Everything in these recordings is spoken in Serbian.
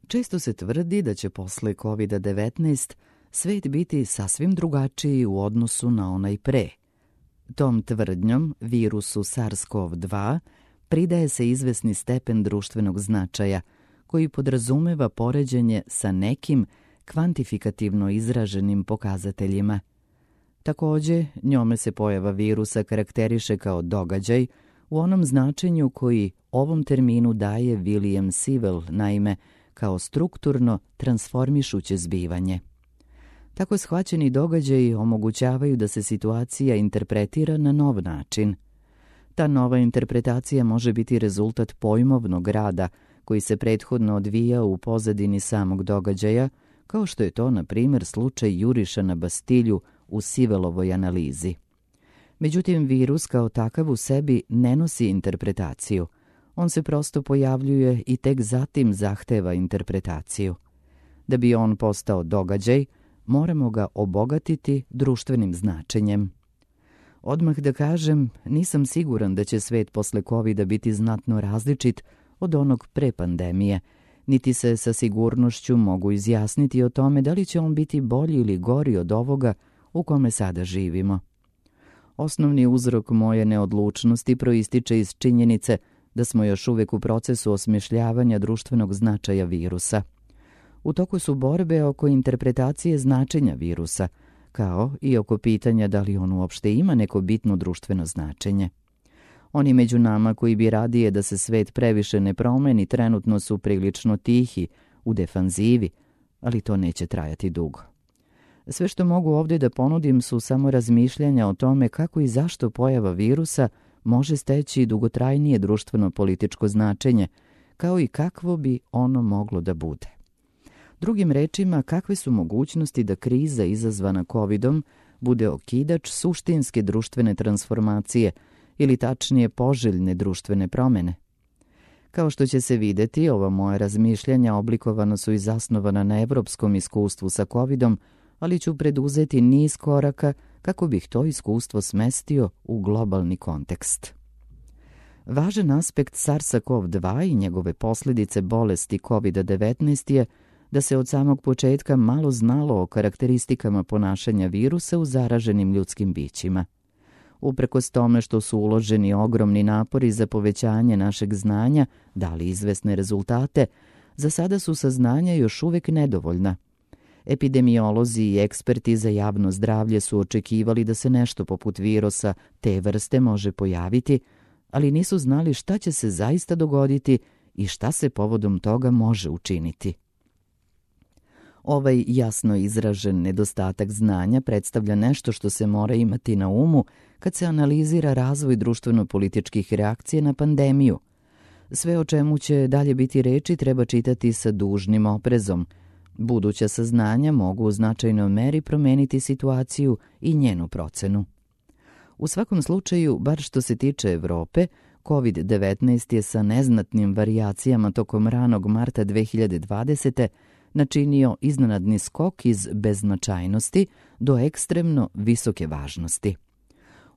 Često se tvrdi da će posle COVID-19 svet biti sasvim drugačiji u odnosu na onaj pre. Tom tvrdnjom virusu SARS-CoV-2 pridaje se izvesni stepen društvenog značaja koji podrazumeva poređenje sa nekim kvantifikativno izraženim pokazateljima. Takođe, njome se pojava virusa karakteriše kao događaj u onom značenju koji ovom terminu daje William Sewell, naime kao strukturno transformišuće zbivanje. Tako shvaćeni događaji omogućavaju da se situacija interpretira na nov način. Ta nova interpretacija može biti rezultat pojmovnog rada koji se prethodno odvija u pozadini samog događaja, kao što je to, na primjer, slučaj juriša na Bastilju u Sewellovoj analizi. Međutim, virus kao takav u sebi ne nosi interpretaciju. On se prosto pojavljuje i tek zatim zahteva interpretaciju. Da bi on postao događaj, moramo ga obogatiti društvenim značenjem. Odmah da kažem, nisam siguran da će svet posle COVID-a biti znatno različit od onog pre pandemije, niti se sa sigurnošću mogu izjasniti o tome da li će on biti bolji ili gori od ovoga u kome sada živimo. Osnovni uzrok moje neodlučnosti proističe iz činjenice da smo još uvek u procesu osmišljavanja društvenog značaja virusa. U toku su borbe oko interpretacije značenja virusa, kao i oko pitanja da li on uopšte ima neko bitno društveno značenje. Oni među nama koji bi radije da se svet previše ne promeni trenutno su prilično tihi, u defanzivi, ali to neće trajati dugo. Sve što mogu ovdje da ponudim su samo razmišljanja o tome kako i zašto pojava virusa može steći dugotrajnije društveno-političko značenje, kao i kakvo bi ono moglo da bude. Drugim rečima, kakve su mogućnosti da kriza izazvana COVID-om bude okidač suštinske društvene transformacije ili tačnije poželjne društvene promene? Kao što će se videti, ova moja razmišljanja oblikovana su i zasnovana na evropskom iskustvu sa COVID-om, ali ću preduzeti niz koraka kako bih to iskustvo smestio u globalni kontekst. Važan aspekt SARS-CoV-2 i njegove posljedice bolesti COVID-19 je da se od samog početka malo znalo o karakteristikama ponašanja virusa u zaraženim ljudskim bićima. Uprkos tome što su uloženi ogromni napori za povećanje našeg znanja, dali izvesne rezultate, za sada su saznanja još uvek nedovoljna. Epidemiolozi i eksperti za javno zdravlje su očekivali da se nešto poput virusa te vrste može pojaviti, ali nisu znali šta će se zaista dogoditi i šta se povodom toga može učiniti. Ovaj jasno izražen nedostatak znanja predstavlja nešto što se mora imati na umu kad se analizira razvoj društveno-političkih reakcija na pandemiju. Sve o čemu će dalje biti reči treba čitati sa dužnim oprezom. Buduća saznanja mogu u značajnoj meri promeniti situaciju i njenu procenu. U svakom slučaju, bar što se tiče Evrope, COVID-19 je sa neznatnim varijacijama tokom ranog marta 2020. načinio iznenadni skok iz beznačajnosti do ekstremno visoke važnosti.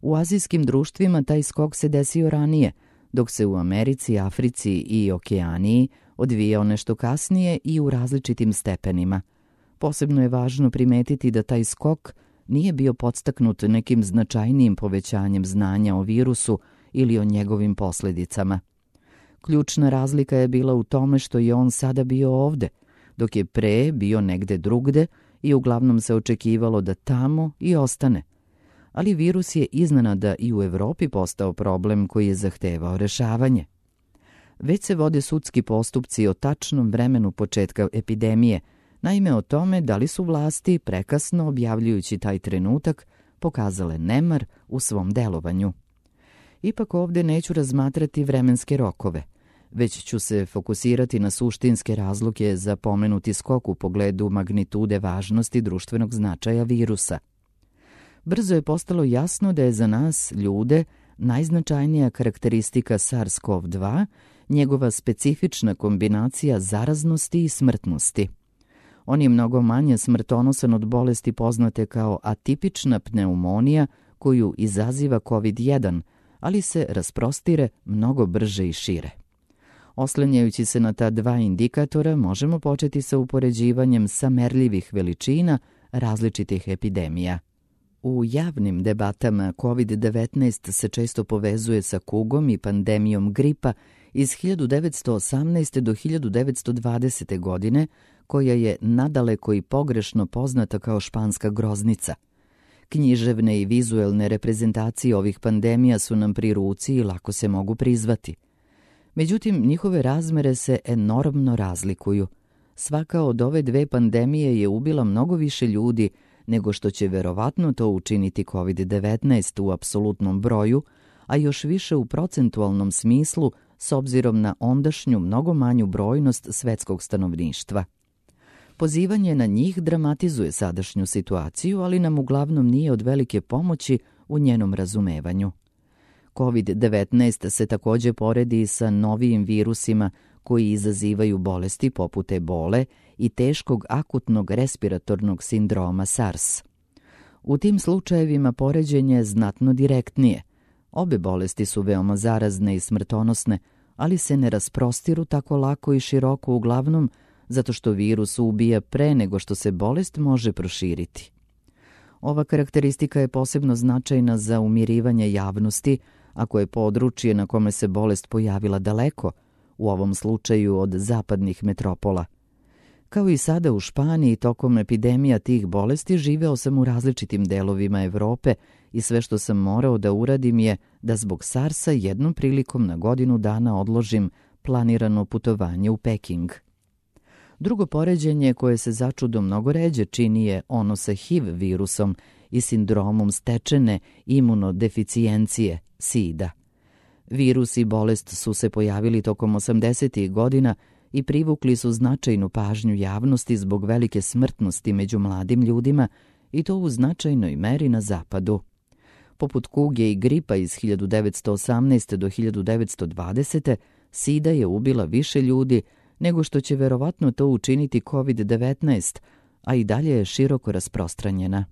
U azijskim društvima taj skok se desio ranije, dok se u Americi, Africi i Okeaniji odvijao nešto kasnije i u različitim stepenima. Posebno je važno primetiti da taj skok nije bio podstaknut nekim značajnijim povećanjem znanja o virusu ili o njegovim posljedicama. Ključna razlika je bila u tome što je on sada bio ovde, dok je pre bio negde drugde i uglavnom se očekivalo da tamo i ostane. Ali virus je iznenada i u Evropi postao problem koji je zahtevao rešavanje. Već se vode sudski postupci o tačnom vremenu početka epidemije, naime o tome da li su vlasti prekasno objavljujući taj trenutak pokazale nemar u svom delovanju. Ipak ovdje neću razmatrati vremenske rokove, već ću se fokusirati na suštinske razloge za pomenuti skok u pogledu magnitude važnosti društvenog značaja virusa. Brzo je postalo jasno da je za nas, ljude, najznačajnija karakteristika SARS-CoV-2 njegova specifična kombinacija zaraznosti i smrtnosti. On je mnogo manje smrtonosan od bolesti poznate kao atipična pneumonija koju izaziva COVID-1, ali se rasprostire mnogo brže i šire. Oslanjajući se na ta dva indikatora, možemo početi sa upoređivanjem samerljivih veličina različitih epidemija. U javnim debatama COVID-19 se često povezuje sa kugom i pandemijom gripa iz 1918. do 1920. godine, koja je nadaleko i pogrešno poznata kao španska groznica. Književne i vizuelne reprezentacije ovih pandemija su nam pri ruci i lako se mogu prizvati. Međutim, njihove razmere se enormno razlikuju. Svaka od ove dve pandemije je ubila mnogo više ljudi nego što će verovatno to učiniti COVID-19 u apsolutnom broju, a još više u procentualnom smislu s obzirom na ondašnju mnogo manju brojnost svetskog stanovništva. Pozivanje na njih dramatizuje sadašnju situaciju, ali nam uglavnom nije od velike pomoći u njenom razumevanju. COVID-19 se također poredi sa novijim virusima koji izazivaju bolesti poput ebole i teškog akutnog respiratornog sindroma SARS. U tim slučajevima poređenje je znatno direktnije. Obe bolesti su veoma zarazne i smrtonosne, ali se ne rasprostiru tako lako i široko uglavnom zato što virus ubija pre nego što se bolest može proširiti. Ova karakteristika je posebno značajna za umirivanje javnosti, ako je područje na kome se bolest pojavila daleko, u ovom slučaju od zapadnih metropola. Kao i sada u Španiji, tokom epidemija tih bolesti živeo sam u različitim delovima Evrope i sve što sam morao da uradim je da zbog SARS-a jednom prilikom na godinu dana odložim planirano putovanje u Peking. Drugo poređenje koje se začudo mnogo ređe čini je ono sa HIV virusom i sindromom stečene imunodeficijencije, SIDA. Virus i bolest su se pojavili tokom 80. godina i privukli su značajnu pažnju javnosti zbog velike smrtnosti među mladim ljudima i to u značajnoj meri na zapadu. Poput kuge i gripa iz 1918. do 1920. SIDA je ubila više ljudi nego što će verovatno to učiniti COVID-19, a i dalje je široko rasprostranjena.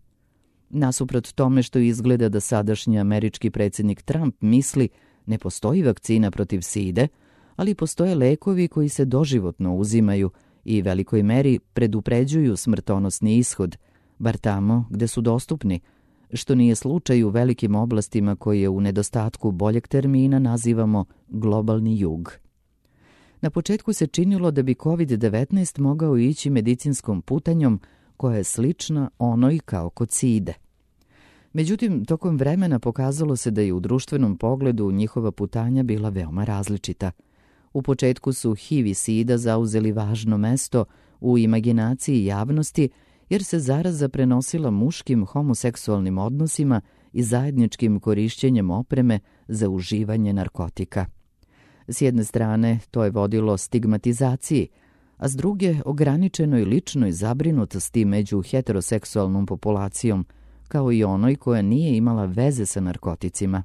Nasuprot tome što izgleda da sadašnji američki predsjednik Trump misli ne postoji vakcina protiv SIDE, ali postoje lekovi koji se doživotno uzimaju i velikoj meri predupređuju smrtonosni ishod, bar tamo gde su dostupni, što nije slučaj u velikim oblastima koje u nedostatku boljeg termina nazivamo globalni jug. Na početku se činilo da bi COVID-19 mogao ići medicinskom putanjom koja je slična onoj kao kod SIDE. Međutim, tokom vremena pokazalo se da je u društvenom pogledu njihova putanja bila veoma različita. U početku su HIV i SIDA zauzeli važno mesto u imaginaciji javnosti jer se zaraza prenosila muškim homoseksualnim odnosima i zajedničkim korišćenjem opreme za uživanje narkotika. S jedne strane, to je vodilo stigmatizaciji, a s druge ograničenoj ličnoj zabrinutosti među heteroseksualnom populacijom, kao i onoj koja nije imala veze sa narkoticima.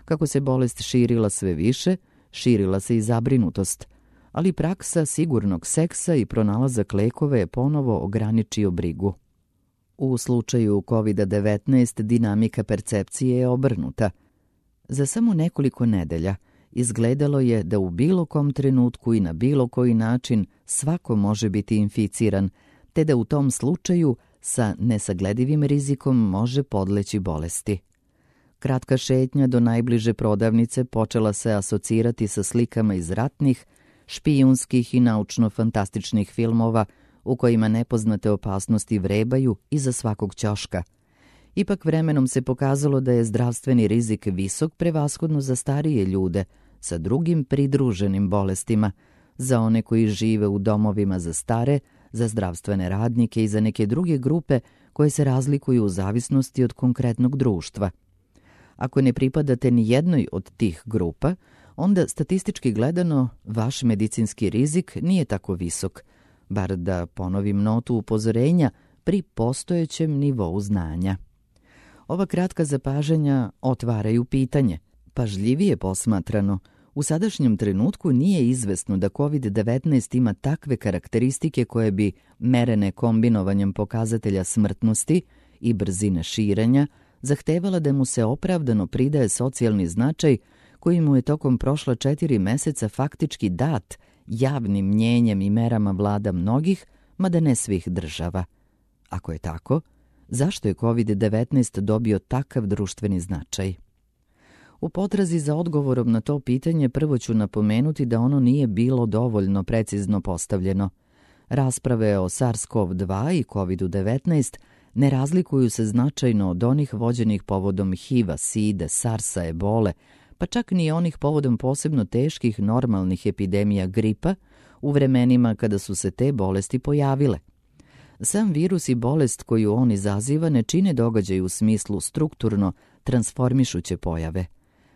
Kako se bolest širila sve više, širila se i zabrinutost, ali praksa sigurnog seksa i pronalazak lekova je ponovo ograničio brigu. U slučaju COVID-19 dinamika percepcije je obrnuta. Za samo nekoliko nedelja izgledalo je da u bilo kom trenutku i na bilo koji način svako može biti inficiran, te da u tom slučaju sa nesagledivim rizikom može podleći bolesti. Kratka šetnja do najbliže prodavnice počela se asocirati sa slikama iz ratnih, špijunskih i naučno-fantastičnih filmova u kojima nepoznate opasnosti vrebaju iza svakog ćoška. Ipak vremenom se pokazalo da je zdravstveni rizik visok prevashodno za starije ljude sa drugim pridruženim bolestima, za one koji žive u domovima za stare, za zdravstvene radnike i za neke druge grupe koje se razlikuju u zavisnosti od konkretnog društva. Ako ne pripadate ni jednoj od tih grupa, onda statistički gledano vaš medicinski rizik nije tako visok, bar da ponovim notu upozorenja pri postojećem nivou znanja. Ova kratka zapažanja otvaraju pitanje. Pažljivije posmatrano, u sadašnjem trenutku nije izvesno da COVID-19 ima takve karakteristike koje bi, merene kombinovanjem pokazatelja smrtnosti i brzine širenja, zahtevala da mu se opravdano pridaje socijalni značaj koji mu je tokom prošla 4 meseca faktički dat javnim mnjenjem i merama vlada mnogih, mada ne svih država. Ako je tako, zašto je COVID-19 dobio takav društveni značaj? U potrazi za odgovorom na to pitanje prvo ću napomenuti da ono nije bilo dovoljno precizno postavljeno. Rasprave o SARS-CoV-2 i COVID-19 ne razlikuju se značajno od onih vođenih povodom HIV-a, SIDE, SARS-a, ebole, pa čak ni onih povodom posebno teških normalnih epidemija gripa u vremenima kada su se te bolesti pojavile. Sam virus i bolest koju on izaziva ne čine događaj u smislu strukturno transformišuće pojave.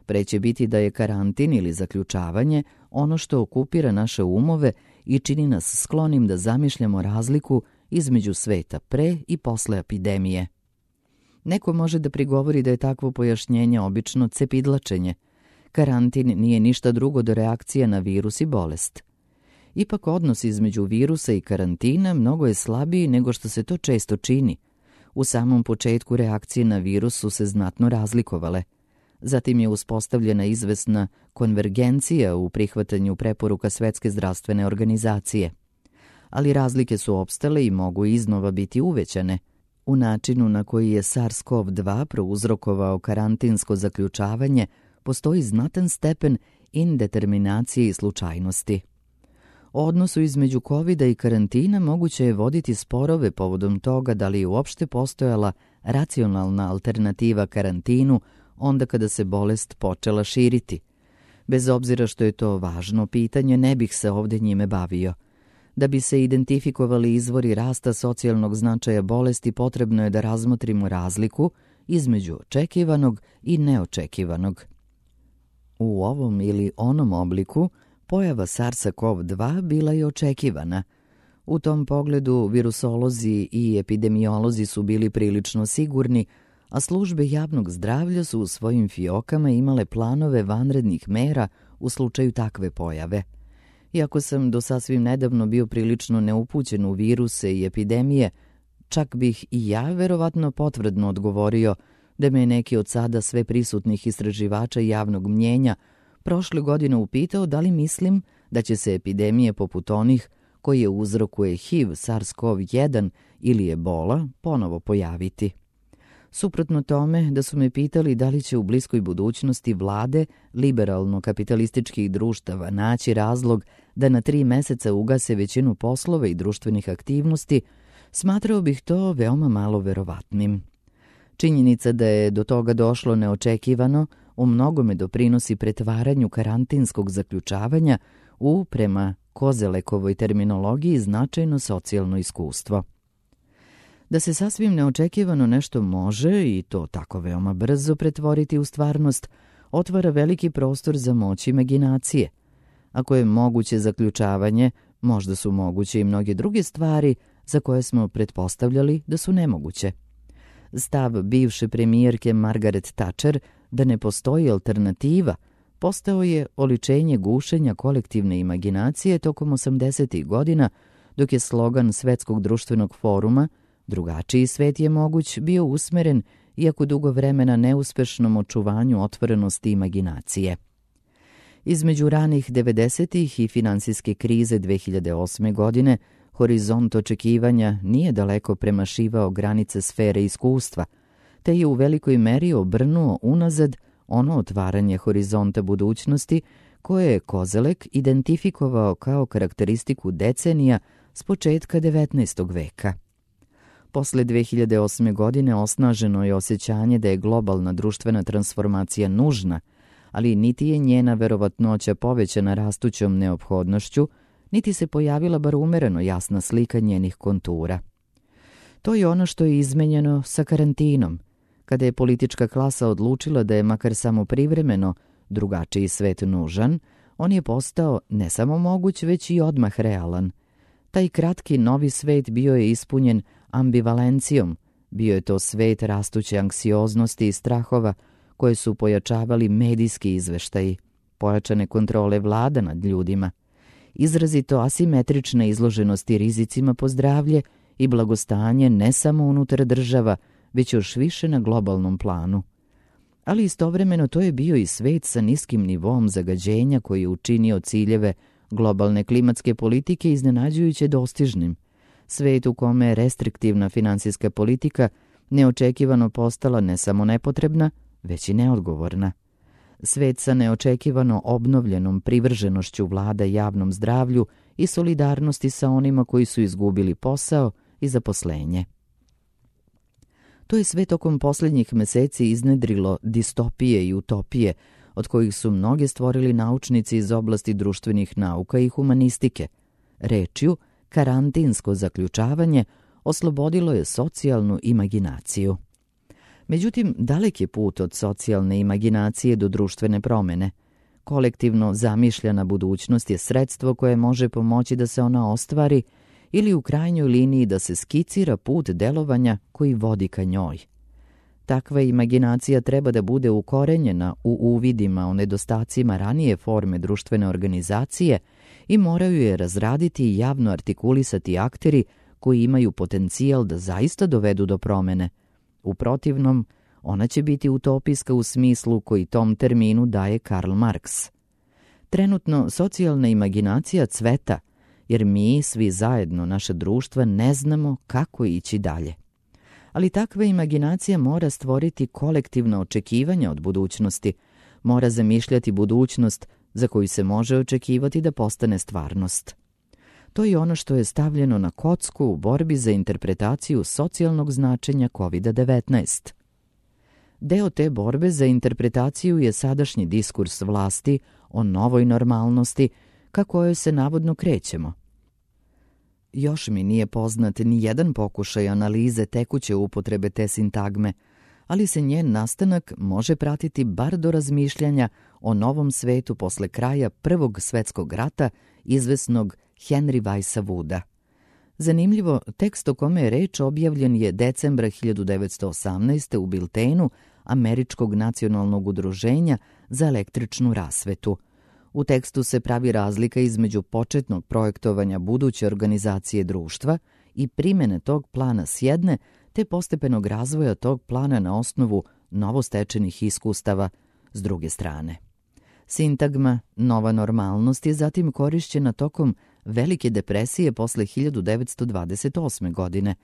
Pre će biti da je karantin ili zaključavanje ono što okupira naše umove i čini nas sklonim da zamišljamo razliku između sveta pre i posle epidemije. Neko može da prigovori da je takvo pojašnjenje obično cepidlačenje. Karantin nije ništa drugo do reakcija na virus i bolest. Ipak odnos između virusa i karantina mnogo je slabiji nego što se to često čini. U samom početku reakcije na virus su se znatno razlikovale. Zatim je uspostavljena izvesna konvergencija u prihvatanju preporuka Svetske zdravstvene organizacije. Ali razlike su opstale i mogu iznova biti uvećane. U načinu na koji je SARS-CoV-2 prouzrokovao karantinsko zaključavanje postoji znatan stepen indeterminacije i slučajnosti. O odnosu između COVID-a i karantina moguće je voditi sporove povodom toga da li je uopšte postojala racionalna alternativa karantinu onda kada se bolest počela širiti. Bez obzira što je to važno pitanje, ne bih se ovdje njime bavio. Da bi se identifikovali izvori rasta socijalnog značaja bolesti, potrebno je da razmotrimo razliku između očekivanog i neočekivanog. U ovom ili onom obliku pojava SARS-CoV-2 bila je očekivana. U tom pogledu virusolozi i epidemiolozi su bili prilično sigurni, a službe javnog zdravlja su u svojim fiokama imale planove vanrednih mera u slučaju takve pojave. Iako sam do sasvim nedavno bio prilično neupućen u viruse i epidemije, čak bih i ja verovatno potvrdno odgovorio da me je neki od sada sve prisutnih istraživača javnog mnjenja prošle godine upitao da li mislim da će se epidemije poput onih koje uzrokuje HIV, SARS-CoV-1 ili ebola ponovo pojaviti. Suprotno tome, da su me pitali da li će u bliskoj budućnosti vlade liberalno-kapitalističkih društava naći razlog da na 3 meseca ugase većinu poslova i društvenih aktivnosti, smatrao bih to veoma malo verovatnim. Činjenica da je do toga došlo neočekivano u mnogome doprinosi pretvaranju karantinskog zaključavanja u, prema Kozelekovoj terminologiji, značajno socijalno iskustvo. Da se sasvim neočekivano nešto može, i to tako veoma brzo, pretvoriti u stvarnost, otvara veliki prostor za moć imaginacije. Ako je moguće zaključavanje, možda su moguće i mnoge druge stvari za koje smo pretpostavljali da su nemoguće. Stav bivše premijerke Margaret Thatcher da ne postoji alternativa postao je oličenje gušenja kolektivne imaginacije tokom 80. godina, dok je slogan Svetskog društvenog foruma "Drugačiji svet je moguć" bio usmeren, iako dugo vremena, neuspešnom očuvanju otvorenosti imaginacije. Između ranih 90-ih i finansijske krize 2008. godine, horizont očekivanja nije daleko premašivao granice sfere iskustva, te je u velikoj meri obrnuo unazad ono otvaranje horizonta budućnosti koje je Kozelek identifikovao kao karakteristiku decenija s početka 19. veka. Posle 2008. godine osnaženo je osjećanje da je globalna društvena transformacija nužna, ali niti je njena verovatnoća povećana rastućom neophodnošću, niti se pojavila bar umereno jasna slika njenih kontura. To je ono što je izmenjeno sa karantinom, kada je politička klasa odlučila da je makar samo privremeno drugačiji svet nužan, on je postao ne samo moguć, već i odmah realan. Taj kratki novi svet bio je ispunjen ambivalencijom, bio je to svet rastuće anksioznosti i strahova koje su pojačavali medijski izveštaji, pojačane kontrole vlada nad ljudima, izrazito asimetrične izloženosti rizicima po zdravlje i blagostanje ne samo unutar država, već još više na globalnom planu. Ali istovremeno to je bio i svet sa niskim nivom zagađenja koji je učinio ciljeve globalne klimatske politike iznenađujuće dostižnim. Svet u kome je restriktivna finansijska politika neočekivano postala ne samo nepotrebna, već i neodgovorna. Svet sa neočekivano obnovljenom privrženošću vlada javnom zdravlju i solidarnosti sa onima koji su izgubili posao i zaposlenje. To je sve tokom posljednjih meseci iznedrilo distopije i utopije, od kojih su mnoge stvorili naučnici iz oblasti društvenih nauka i humanistike. Rečju, karantinsko zaključavanje oslobodilo je socijalnu imaginaciju. Međutim, dalek je put od socijalne imaginacije do društvene promene. Kolektivno zamišljena budućnost je sredstvo koje može pomoći da se ona ostvari ili u krajnjoj liniji da se skicira put delovanja koji vodi ka njoj. Takva imaginacija treba da bude ukorenjena u uvidima o nedostacima ranije forme društvene organizacije i moraju je razraditi i javno artikulisati akteri koji imaju potencijal da zaista dovedu do promene. U protivnom, ona će biti utopijska u smislu koji tom terminu daje Karl Marx. Trenutno socijalna imaginacija cveta, jer mi, svi zajedno, naše društva, ne znamo kako ići dalje. Ali takva imaginacija mora stvoriti kolektivna očekivanja od budućnosti, mora zamišljati budućnost za koju se može očekivati da postane stvarnost. To je ono što je stavljeno na kocku u borbi za interpretaciju socijalnog značenja COVID-19. Deo te borbe za interpretaciju je sadašnji diskurs vlasti o novoj normalnosti ka kojoj se navodno krećemo. Još mi nije poznat ni jedan pokušaj analize tekuće upotrebe te sintagme, ali se njen nastanak može pratiti bar do razmišljanja o novom svetu posle kraja Prvog svetskog rata izvesnog Henry Weissa Wooda. Zanimljivo, tekst o kome je reč objavljen je decembra 1918. u biltenu Američkog nacionalnog udruženja za električnu rasvetu. U tekstu se pravi razlika između početnog projektovanja buduće organizacije društva i primene tog plana s jedne, te postepenog razvoja tog plana na osnovu novostečenih iskustava s druge strane. Sintagma nova normalnost je zatim korišćena tokom Velike depresije posle 1928. godine,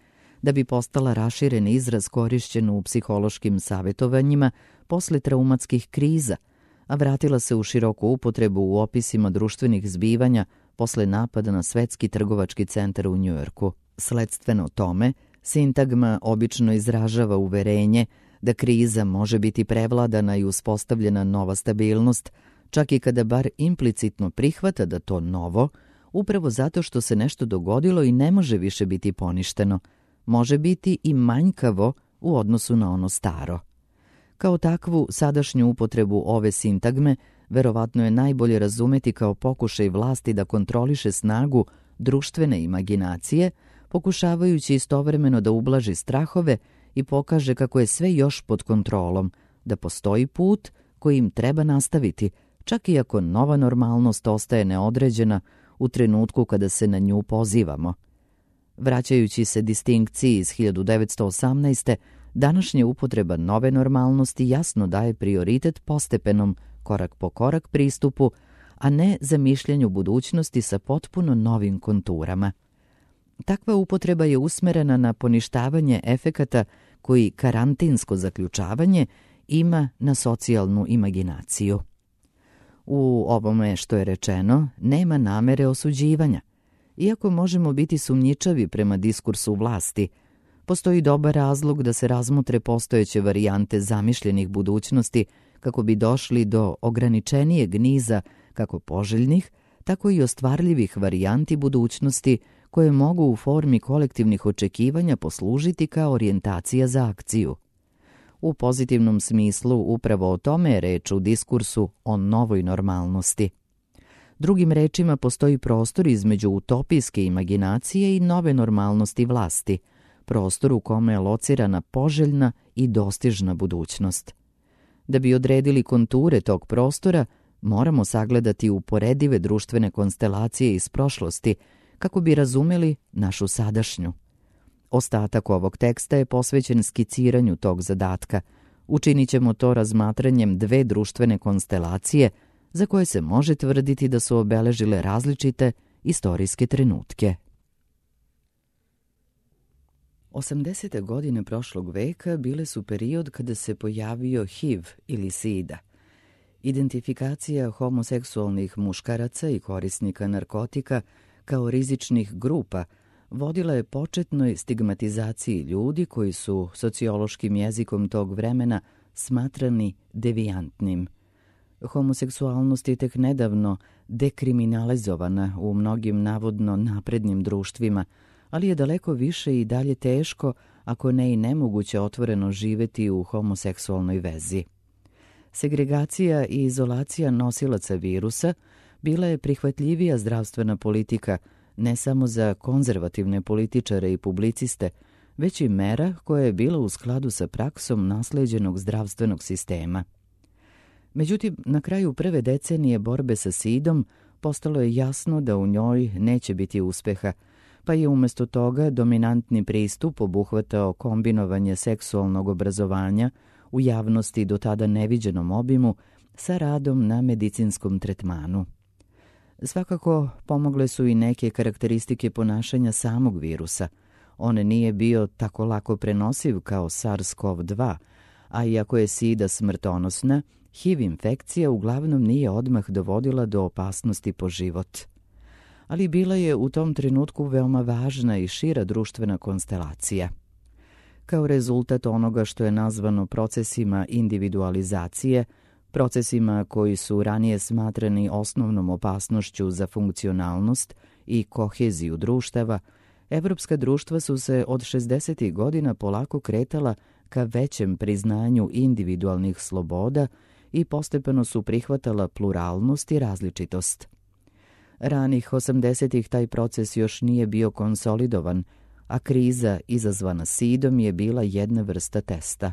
da bi postala raširen izraz korišćen u psihološkim savjetovanjima posle traumatskih kriza, a vratila se u široku upotrebu u opisima društvenih zbivanja posle napada na Svetski trgovački centar u Njujorku. Sledstveno tome, sintagma obično izražava uverenje da kriza može biti prevladana i uspostavljena nova stabilnost, čak i kada bar implicitno prihvata da to novo, upravo zato što se nešto dogodilo i ne može više biti poništeno, može biti i manjkavo u odnosu na ono staro. Kao takvu, sadašnju upotrebu ove sintagme verovatno je najbolje razumeti kao pokušaj vlasti da kontroliše snagu društvene imaginacije, pokušavajući istovremeno da ublaži strahove i pokaže kako je sve još pod kontrolom, da postoji put koji im treba nastaviti, čak i ako nova normalnost ostaje neodređena u trenutku kada se na nju pozivamo. Vraćajući se distinkciji iz 1918. današnja upotreba nove normalnosti jasno daje prioritet postepenom, korak po korak pristupu, a ne zamišljanju budućnosti sa potpuno novim konturama. Takva upotreba je usmerena na poništavanje efekata koji karantinsko zaključavanje ima na socijalnu imaginaciju. U ovome što je rečeno nema namere osuđivanja. Iako možemo biti sumnjičavi prema diskursu vlasti, postoji dobar razlog da se razmotre postojeće varijante zamišljenih budućnosti kako bi došli do ograničenijeg niza kako poželjnih, tako i ostvarljivih varijanti budućnosti koje mogu u formi kolektivnih očekivanja poslužiti kao orijentacija za akciju. U pozitivnom smislu upravo o tome je reč u diskursu o novoj normalnosti. Drugim rečima, postoji prostor između utopijske imaginacije i nove normalnosti vlasti, prostor u kome je locirana poželjna i dostižna budućnost. Da bi odredili konture tog prostora, moramo sagledati uporedive društvene konstelacije iz prošlosti kako bi razumeli našu sadašnju. Ostatak ovog teksta je posvećen skiciranju tog zadatka, Učinit ćemo to razmatranjem dve društvene konstelacije za koje se može tvrditi da su obeležile različite istorijske trenutke. 80. godine prošlog veka bile su period kada se pojavio HIV ili SIDA. Identifikacija homoseksualnih muškaraca i korisnika narkotika kao rizičnih grupa vodila je početnoj stigmatizaciji ljudi koji su sociološkim jezikom tog vremena smatrani devijantnim. Homoseksualnost je tek nedavno dekriminalizovana u mnogim navodno naprednim društvima, ali je daleko više i dalje teško, ako ne i nemoguće otvoreno živeti u homoseksualnoj vezi. Segregacija i izolacija nosilaca virusa bila je prihvatljivija zdravstvena politika ne samo za konzervativne političare i publiciste, već i mera koja je bila u skladu sa praksom nasleđenog zdravstvenog sistema. Međutim, na kraju prve decenije borbe sa SIDom postalo je jasno da u njoj neće biti uspeha, pa je umjesto toga dominantni pristup obuhvatao kombinovanje seksualnog obrazovanja u javnosti do tada neviđenom obimu sa radom na medicinskom tretmanu. Svakako pomogle su i neke karakteristike ponašanja samog virusa. On nije bio tako lako prenosiv kao SARS-CoV-2, a iako je SIDA smrtonosna, HIV infekcija uglavnom nije odmah dovodila do opasnosti po život. Ali bila je u tom trenutku veoma važna i šira društvena konstelacija. Kao rezultat onoga što je nazvano procesima individualizacije, procesima koji su ranije smatrani osnovnom opasnošću za funkcionalnost i koheziju društava, evropska društva su se od 60. godina polako kretala ka većem priznanju individualnih sloboda i postepeno su prihvatala pluralnost i različitost. Ranih 80. taj proces još nije bio konsolidovan, a kriza izazvana SIDom je bila jedna vrsta testa.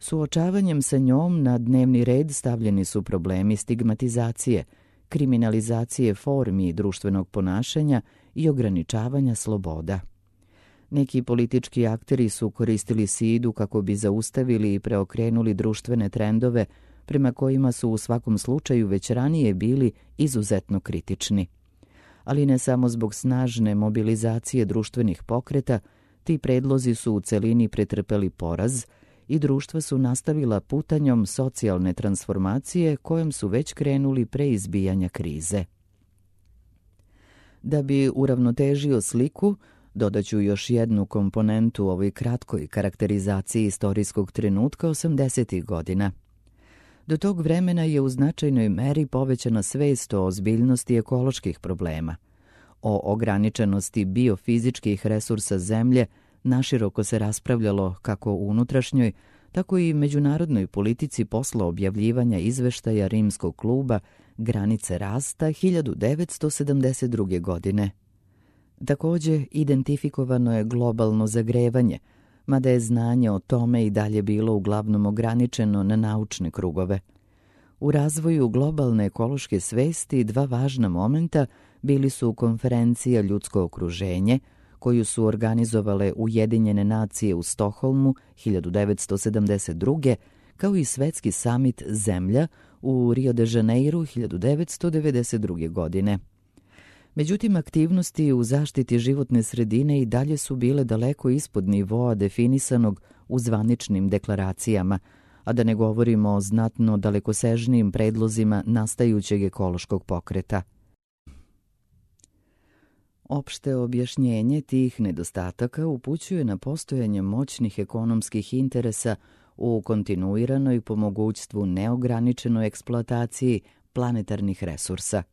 Suočavanjem sa njom na dnevni red stavljeni su problemi stigmatizacije, kriminalizacije formi društvenog ponašanja i ograničavanja sloboda. Neki politički akteri su koristili SIDu kako bi zaustavili i preokrenuli društvene trendove prema kojima su u svakom slučaju već ranije bili izuzetno kritični. Ali ne samo zbog snažne mobilizacije društvenih pokreta, ti predlozi su u celini pretrpeli poraz i društva su nastavila putanjom socijalne transformacije kojom su već krenuli pre izbijanja krize. Da bi uravnotežio sliku, dodaću još jednu komponentu ovoj kratkoj karakterizaciji istorijskog trenutka 80. godina. Do tog vremena je u značajnoj meri povećana svest o ozbiljnosti ekoloških problema. O ograničenosti biofizičkih resursa zemlje naširoko se raspravljalo kako u unutrašnjoj, tako i međunarodnoj politici posle objavljivanja izveštaja Rimskog kluba Granice rasta 1972. godine. Takođe, identifikovano je globalno zagrevanje, mada je znanje o tome i dalje bilo uglavnom ograničeno na naučne krugove. U razvoju globalne ekološke svesti dva važna momenta bili su konferencija Ljudsko okruženje, koju su organizovale Ujedinjene nacije u Stokholmu 1972. kao i Svetski samit Zemlja u Rio de Janeiru 1992. godine. Međutim, aktivnosti u zaštiti životne sredine i dalje su bile daleko ispod nivoa definisanog u zvaničnim deklaracijama, a da ne govorimo o znatno dalekosežnijim predlozima nastajućeg ekološkog pokreta. Opšte objašnjenje tih nedostataka upućuje na postojanje moćnih ekonomskih interesa u kontinuiranoj po mogućstvu neograničenoj eksploataciji planetarnih resursa.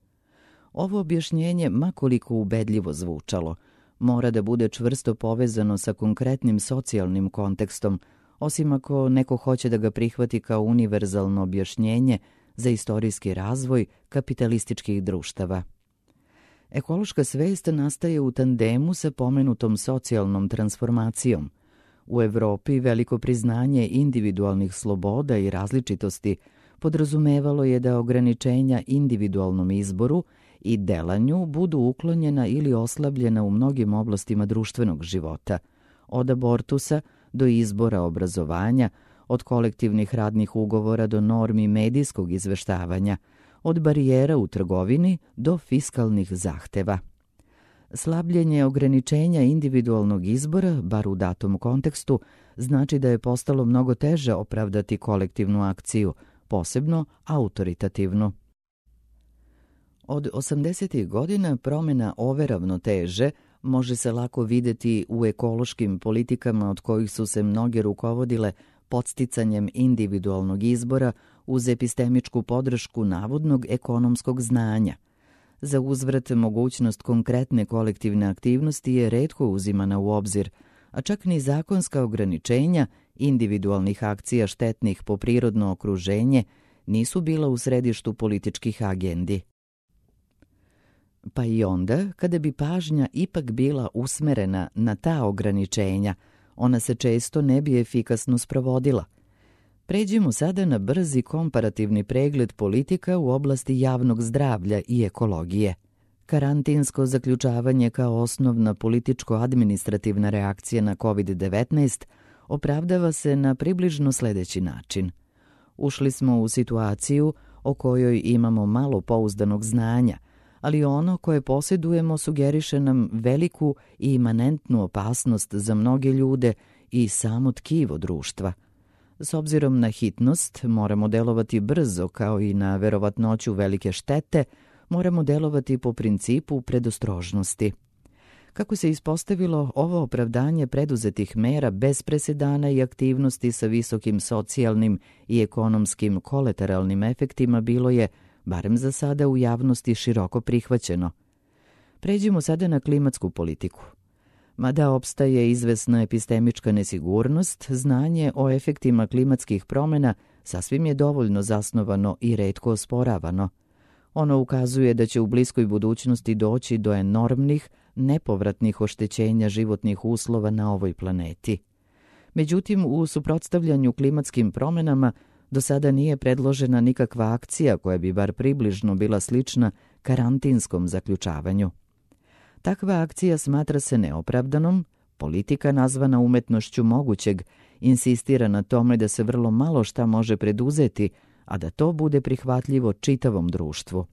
Ovo objašnjenje, makoliko ubedljivo zvučalo, mora da bude čvrsto povezano sa konkretnim socijalnim kontekstom, osim ako neko hoće da ga prihvati kao univerzalno objašnjenje za istorijski razvoj kapitalističkih društava. Ekološka svest nastaje u tandemu sa pomenutom socijalnom transformacijom. U Evropi veliko priznanje individualnih sloboda i različitosti podrazumevalo je da ograničenja individualnom izboru i delanju budu uklonjena ili oslabljena u mnogim oblastima društvenog života, od abortusa do izbora obrazovanja, od kolektivnih radnih ugovora do normi medijskog izveštavanja, od barijera u trgovini do fiskalnih zahteva. Slabljenje ograničenja individualnog izbora, bar u datom kontekstu, znači da je postalo mnogo teže opravdati kolektivnu akciju, posebno autoritativnu. Od 80. godina promjena ove ravnoteže može se lako vidjeti u ekološkim politikama od kojih su se mnoge rukovodile podsticanjem individualnog izbora uz epistemičku podršku navodnog ekonomskog znanja. Za uzvrat mogućnost konkretne kolektivne aktivnosti je retko uzimana u obzir, a čak ni zakonska ograničenja individualnih akcija štetnih po prirodno okruženje nisu bila u središtu političkih agendi. Pa i onda, kada bi pažnja ipak bila usmerena na ta ograničenja, ona se često ne bi efikasno sprovodila. Pređimo sada na brzi komparativni pregled politika u oblasti javnog zdravlja i ekologije. Karantinsko zaključavanje kao osnovna političko-administrativna reakcija na COVID-19 opravdava se na približno sljedeći način. Ušli smo u situaciju o kojoj imamo malo pouzdanog znanja, ali ono koje posjedujemo sugeriše nam veliku i imanentnu opasnost za mnoge ljude i samo tkivo društva. S obzirom na hitnost, moramo delovati brzo, kao i na verovatnoću velike štete, moramo delovati po principu predostrožnosti. Kako se ispostavilo, ovo opravdanje preduzetih mera bez presedana i aktivnosti sa visokim socijalnim i ekonomskim kolateralnim efektima bilo je, barem za sada, u javnosti široko prihvaćeno. Pređimo sada na klimatsku politiku. Mada opstaje izvesna epistemička nesigurnost, znanje o efektima klimatskih promjena sasvim je dovoljno zasnovano i retko osporavano. Ono ukazuje da će u bliskoj budućnosti doći do enormnih, nepovratnih oštećenja životnih uslova na ovoj planeti. Međutim, u suprotstavljanju klimatskim promjenama do sada nije predložena nikakva akcija koja bi bar približno bila slična karantinskom zaključavanju. Takva akcija smatra se neopravdanom, politika nazvana umetnošću mogućeg insistira na tome da se vrlo malo šta može preduzeti, a da to bude prihvatljivo čitavom društvu.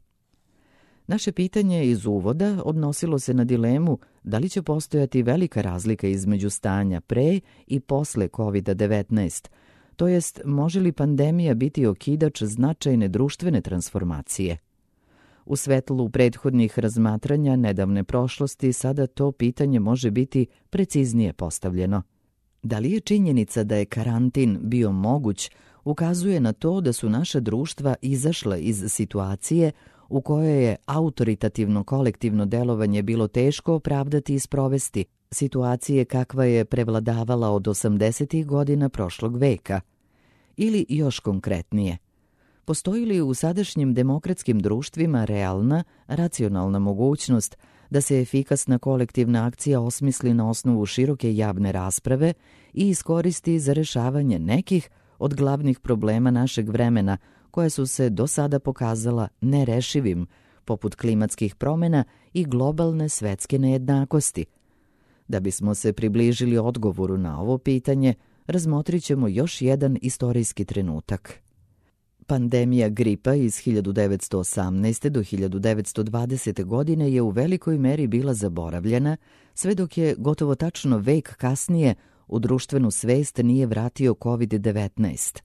Naše pitanje iz uvoda odnosilo se na dilemu da li će postojati velika razlika između stanja pre i posle COVID-19, to jest može li pandemija biti okidač značajne društvene transformacije. U svetlu prethodnih razmatranja nedavne prošlosti sada to pitanje može biti preciznije postavljeno. Da li je činjenica da je karantin bio moguć ukazuje na to da su naša društva izašla iz situacije u kojoj je autoritativno kolektivno delovanje bilo teško opravdati i sprovesti, situacije kakva je prevladavala od 80. godina prošlog veka. Ili još konkretnije, postoji li u sadašnjim demokratskim društvima realna, racionalna mogućnost da se efikasna kolektivna akcija osmisli na osnovu široke javne rasprave i iskoristi za rješavanje nekih od glavnih problema našeg vremena koja su se do sada pokazala nerešivim, poput klimatskih promjena i globalne svetske nejednakosti? Da bismo se približili odgovoru na ovo pitanje, razmotrit ćemo još jedan istorijski trenutak. Pandemija gripa iz 1918. do 1920. godine je u velikoj meri bila zaboravljena, sve dok je gotovo tačno vek kasnije u društvenu svest nije vratio COVID-19.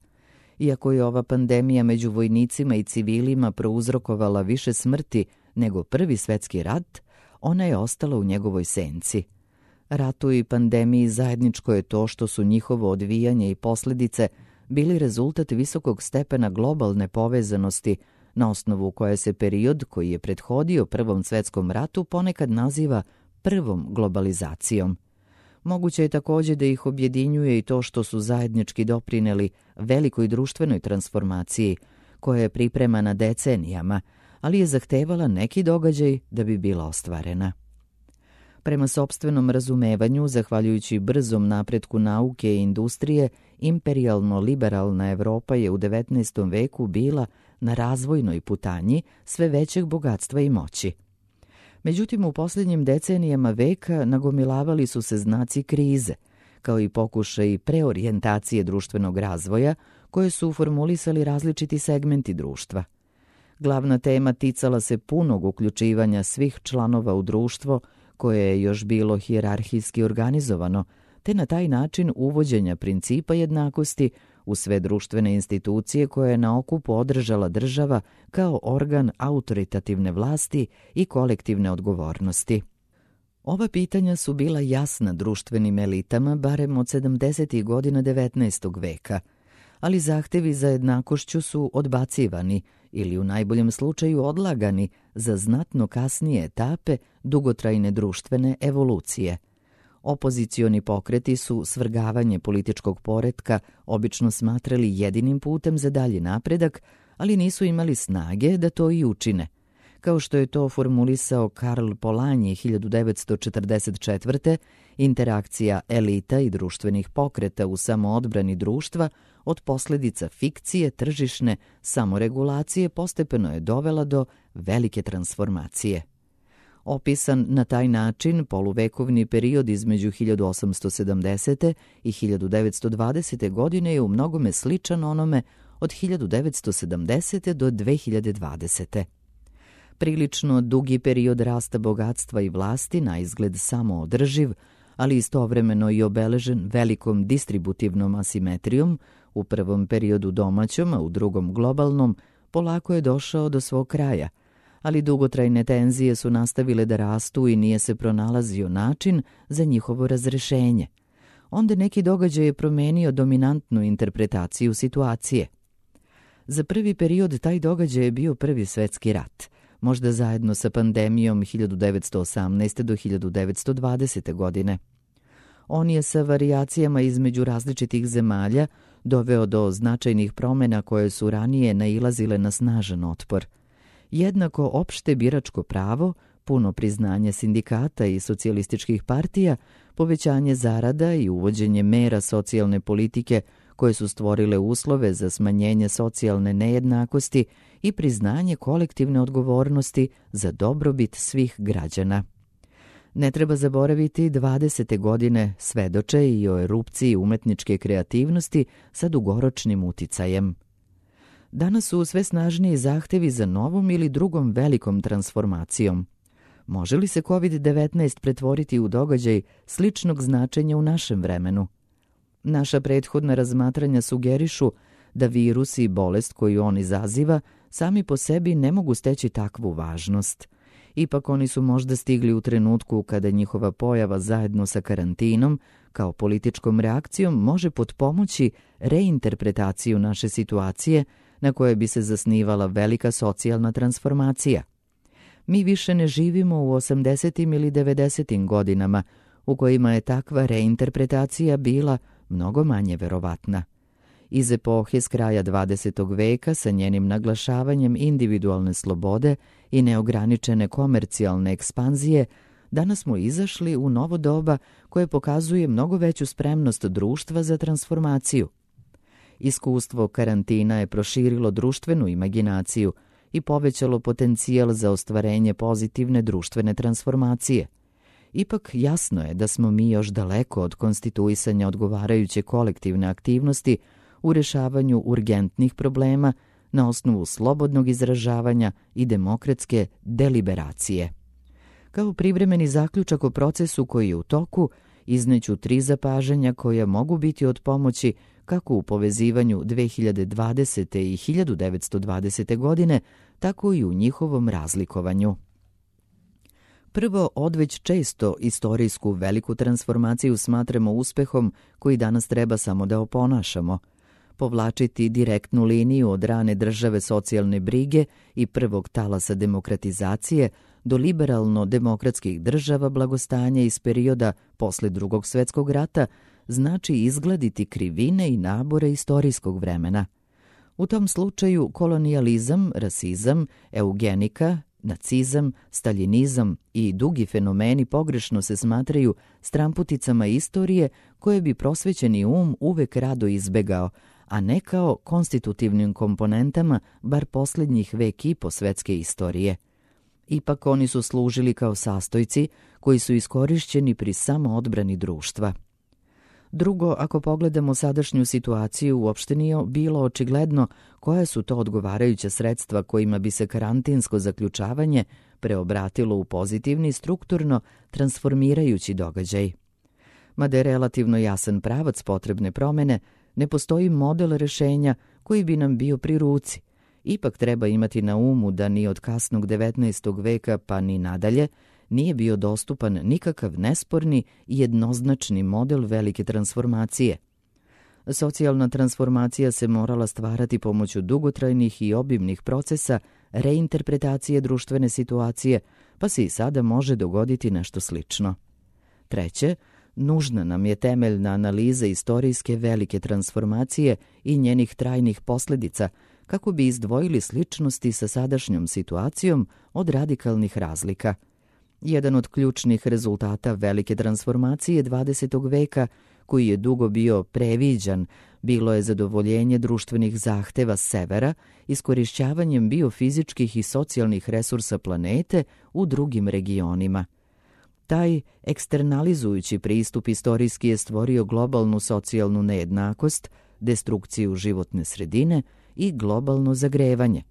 Iako je ova pandemija među vojnicima i civilima prouzrokovala više smrti nego Prvi svjetski rat, ona je ostala u njegovoj senci. Ratu i pandemiji zajedničko je to što su njihovo odvijanje i posljedice bili rezultat visokog stepena globalne povezanosti, na osnovu koje se period koji je prethodio Prvom svjetskom ratu ponekad naziva prvom globalizacijom. Moguće je također da ih objedinjuje i to što su zajednički doprineli velikoj društvenoj transformaciji, koja je pripremana decenijama, ali je zahtevala neki događaj da bi bila ostvarena. Prema sopstvenom razumevanju, zahvaljujući brzom napretku nauke i industrije, imperijalno-liberalna Evropa je u 19. veku bila na razvojnoj putanji sve većeg bogatstva i moći. Međutim, u posljednjim decenijama veka nagomilavali su se znaci krize, kao i pokušaj preorijentacije društvenog razvoja koje su formulisali različiti segmenti društva. Glavna tema ticala se punog uključivanja svih članova u društvo koje je još bilo hijerarhijski organizovano, te na taj način uvođenja principa jednakosti u sve društvene institucije koje je na okupu održala država kao organ autoritativne vlasti i kolektivne odgovornosti. Ova pitanja su bila jasna društvenim elitama barem od 70. godina 19. veka, ali zahtevi za jednakošću su odbacivani ili u najboljem slučaju odlagani za znatno kasnije etape dugotrajne društvene evolucije. Opozicioni pokreti su svrgavanje političkog poretka obično smatrali jedinim putem za dalji napredak, ali nisu imali snage da to i učine. Kao što je to formulisao Karl Polanyi 1944. interakcija elita i društvenih pokreta u samoodbrani društva od posljedica fikcije tržišne samoregulacije postepeno je dovela do velike transformacije. Opisan na taj način, poluvekovni period između 1870. i 1920. godine je u mnogome sličan onome od 1970. do 2020. Prilično dugi period rasta bogatstva i vlasti, na izgled samoodrživ, ali istovremeno i obeležen velikom distributivnom asimetrijom, u prvom periodu domaćom, a u drugom globalnom, polako je došao do svog kraja, ali dugotrajne tenzije su nastavile da rastu i nije se pronalazio način za njihovo razrešenje. Onda neki događaj je promenio dominantnu interpretaciju situacije. Za prvi period taj događaj je bio Prvi svetski rat, možda zajedno sa pandemijom 1918. do 1920. godine. On je sa varijacijama između različitih zemalja doveo do značajnih promjena koje su ranije nailazile na snažan otpor. Jednako opšte biračko pravo, puno priznanje sindikata i socijalističkih partija, povećanje zarada i uvođenje mera socijalne politike koje su stvorile uslove za smanjenje socijalne nejednakosti i priznanje kolektivne odgovornosti za dobrobit svih građana. Ne treba zaboraviti 20. godine svedoče i o erupciji umetničke kreativnosti sa dugoročnim uticajem. Danas su sve snažniji zahtevi za novom ili drugom velikom transformacijom. Može li se COVID-19 pretvoriti u događaj sličnog značenja u našem vremenu? Naša prethodna razmatranja sugerišu da virus i bolest koju on izaziva sami po sebi ne mogu steći takvu važnost. Ipak oni su možda stigli u trenutku kada njihova pojava zajedno sa karantinom kao političkom reakcijom može potpomoći reinterpretaciju naše situacije na koje bi se zasnivala velika socijalna transformacija. Mi više ne živimo u 80. ili 90. godinama u kojima je takva reinterpretacija bila mnogo manje verovatna. Iz epohe s kraja 20. veka sa njenim naglašavanjem individualne slobode i neograničene komercijalne ekspanzije, danas smo izašli u novo doba koje pokazuje mnogo veću spremnost društva za transformaciju. Iskustvo karantina je proširilo društvenu imaginaciju i povećalo potencijal za ostvarenje pozitivne društvene transformacije. Ipak jasno je da smo mi još daleko od konstituisanja odgovarajuće kolektivne aktivnosti u rješavanju urgentnih problema na osnovu slobodnog izražavanja i demokratske deliberacije. Kao privremeni zaključak o procesu koji je u toku, izneću 3 zapažanja koja mogu biti od pomoći kako u povezivanju 2020. i 1920. godine, tako i u njihovom razlikovanju. Prvo, odveć često istorijsku veliku transformaciju smatramo uspehom koji danas treba samo da oponašamo. Povlačiti direktnu liniju od rane države socijalne brige i prvog talasa demokratizacije do liberalno-demokratskih država blagostanja iz perioda posle Drugog svjetskog rata znači izgladiti krivine i nabore istorijskog vremena. U tom slučaju kolonijalizam, rasizam, eugenika, nacizam, staljinizam i drugi fenomeni pogrešno se smatraju stramputicama istorije koje bi prosvećeni uvek rado izbegao, a ne kao konstitutivnim komponentama bar posljednjih vek i po svetske istorije. Ipak oni su služili kao sastojci koji su iskorišćeni pri samoodbrani društva. Drugo, ako pogledamo sadašnju situaciju, uopšte nije bilo očigledno koja su to odgovarajuća sredstva kojima bi se karantinsko zaključavanje preobratilo u pozitivni, strukturno transformirajući događaj. Mada je relativno jasan pravac potrebne promene, ne postoji model rešenja koji bi nam bio pri ruci. Ipak treba imati na umu da ni od kasnog 19. veka pa ni nadalje nije bio dostupan nikakav nesporni i jednoznačni model velike transformacije. Socijalna transformacija se morala stvarati pomoću dugotrajnih i obimnih procesa reinterpretacije društvene situacije, pa se i sada može dogoditi nešto slično. Treće, nužna nam je temeljna analiza istorijske velike transformacije i njenih trajnih posljedica, kako bi izdvojili sličnosti sa sadašnjom situacijom od radikalnih razlika. Jedan od ključnih rezultata velike transformacije 20. veka, koji je dugo bio previđan, bilo je zadovoljenje društvenih zahteva severa iskorišćavanjem biofizičkih i socijalnih resursa planete u drugim regionima. Taj eksternalizujući pristup istorijski je stvorio globalnu socijalnu nejednakost, destrukciju životne sredine i globalno zagrevanje.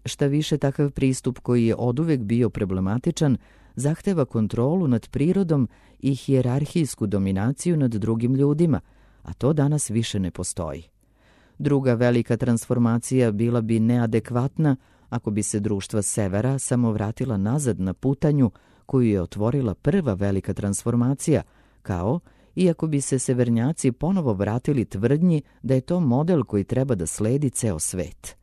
Šta više, takav pristup koji je oduvek bio problematičan zahteva kontrolu nad prirodom i hijerarhijsku dominaciju nad drugim ljudima, a to danas više ne postoji. Druga velika transformacija bila bi neadekvatna ako bi se društva severa samo vratila nazad na putanju koju je otvorila prva velika transformacija, kao i ako bi se severnjaci ponovo vratili tvrdnji da je to model koji treba da sledi ceo svet.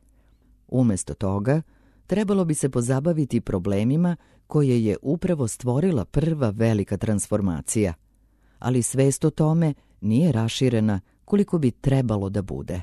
Umesto toga, trebalo bi se pozabaviti problemima koje je upravo stvorila prva velika transformacija. Ali svest o tome nije raširena koliko bi trebalo da bude.